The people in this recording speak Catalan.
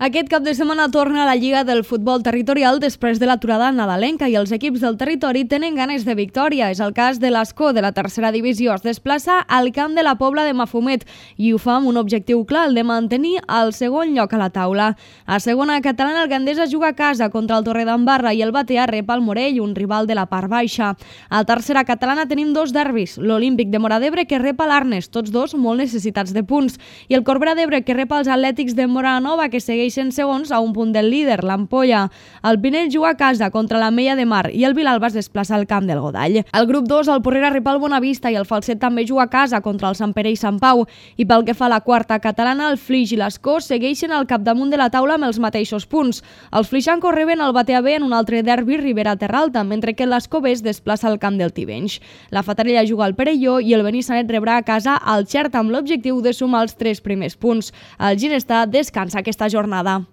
Aquest cap de setmana torna a la Lliga del Futbol Territorial després de l'aturada nadalenca i els equips del territori tenen ganes de victòria. És el cas de l'Escó, de la tercera divisió. Es desplaça al camp de la Pobla de Mafumet i ho fa amb un objectiu clar, el de mantenir el segon lloc a la taula. A segona catalana, el Gandesa juga a casa contra el Torredembarra i el Batea rep el Morell, un rival de la part baixa. A tercera catalana tenim dos derbis, l'Olímpic de Móra d'Ebre que rep l'Arnes, tots dos molt necessitats de punts, i el Corbera d'Ebre que rep els Atlètics de Móra Nova que segueixen segons a un punt del líder, l'Ampolla. El Pinell juga a casa contra la Mella de Mar i el Vilalba es desplaça al camp del Godall. Al grup 2, el Porrera rep el Bonavista i el Falset també juga a casa contra el Sant Pere i Sant Pau. I pel que fa a la quarta catalana, el Flix i l'Escó segueixen al capdamunt de la taula amb els mateixos punts. Els flixancos reben el Batea B en un altre derbi Ribera-Terralta, mentre que l'Escó B es desplaça al camp del Tivenys. La Fatarella juga al Perelló i el Benissanet rebrà a casa el Xert amb l'objectiu de sumar els 3 primers punts. El Ginestar descansa aquesta jornada.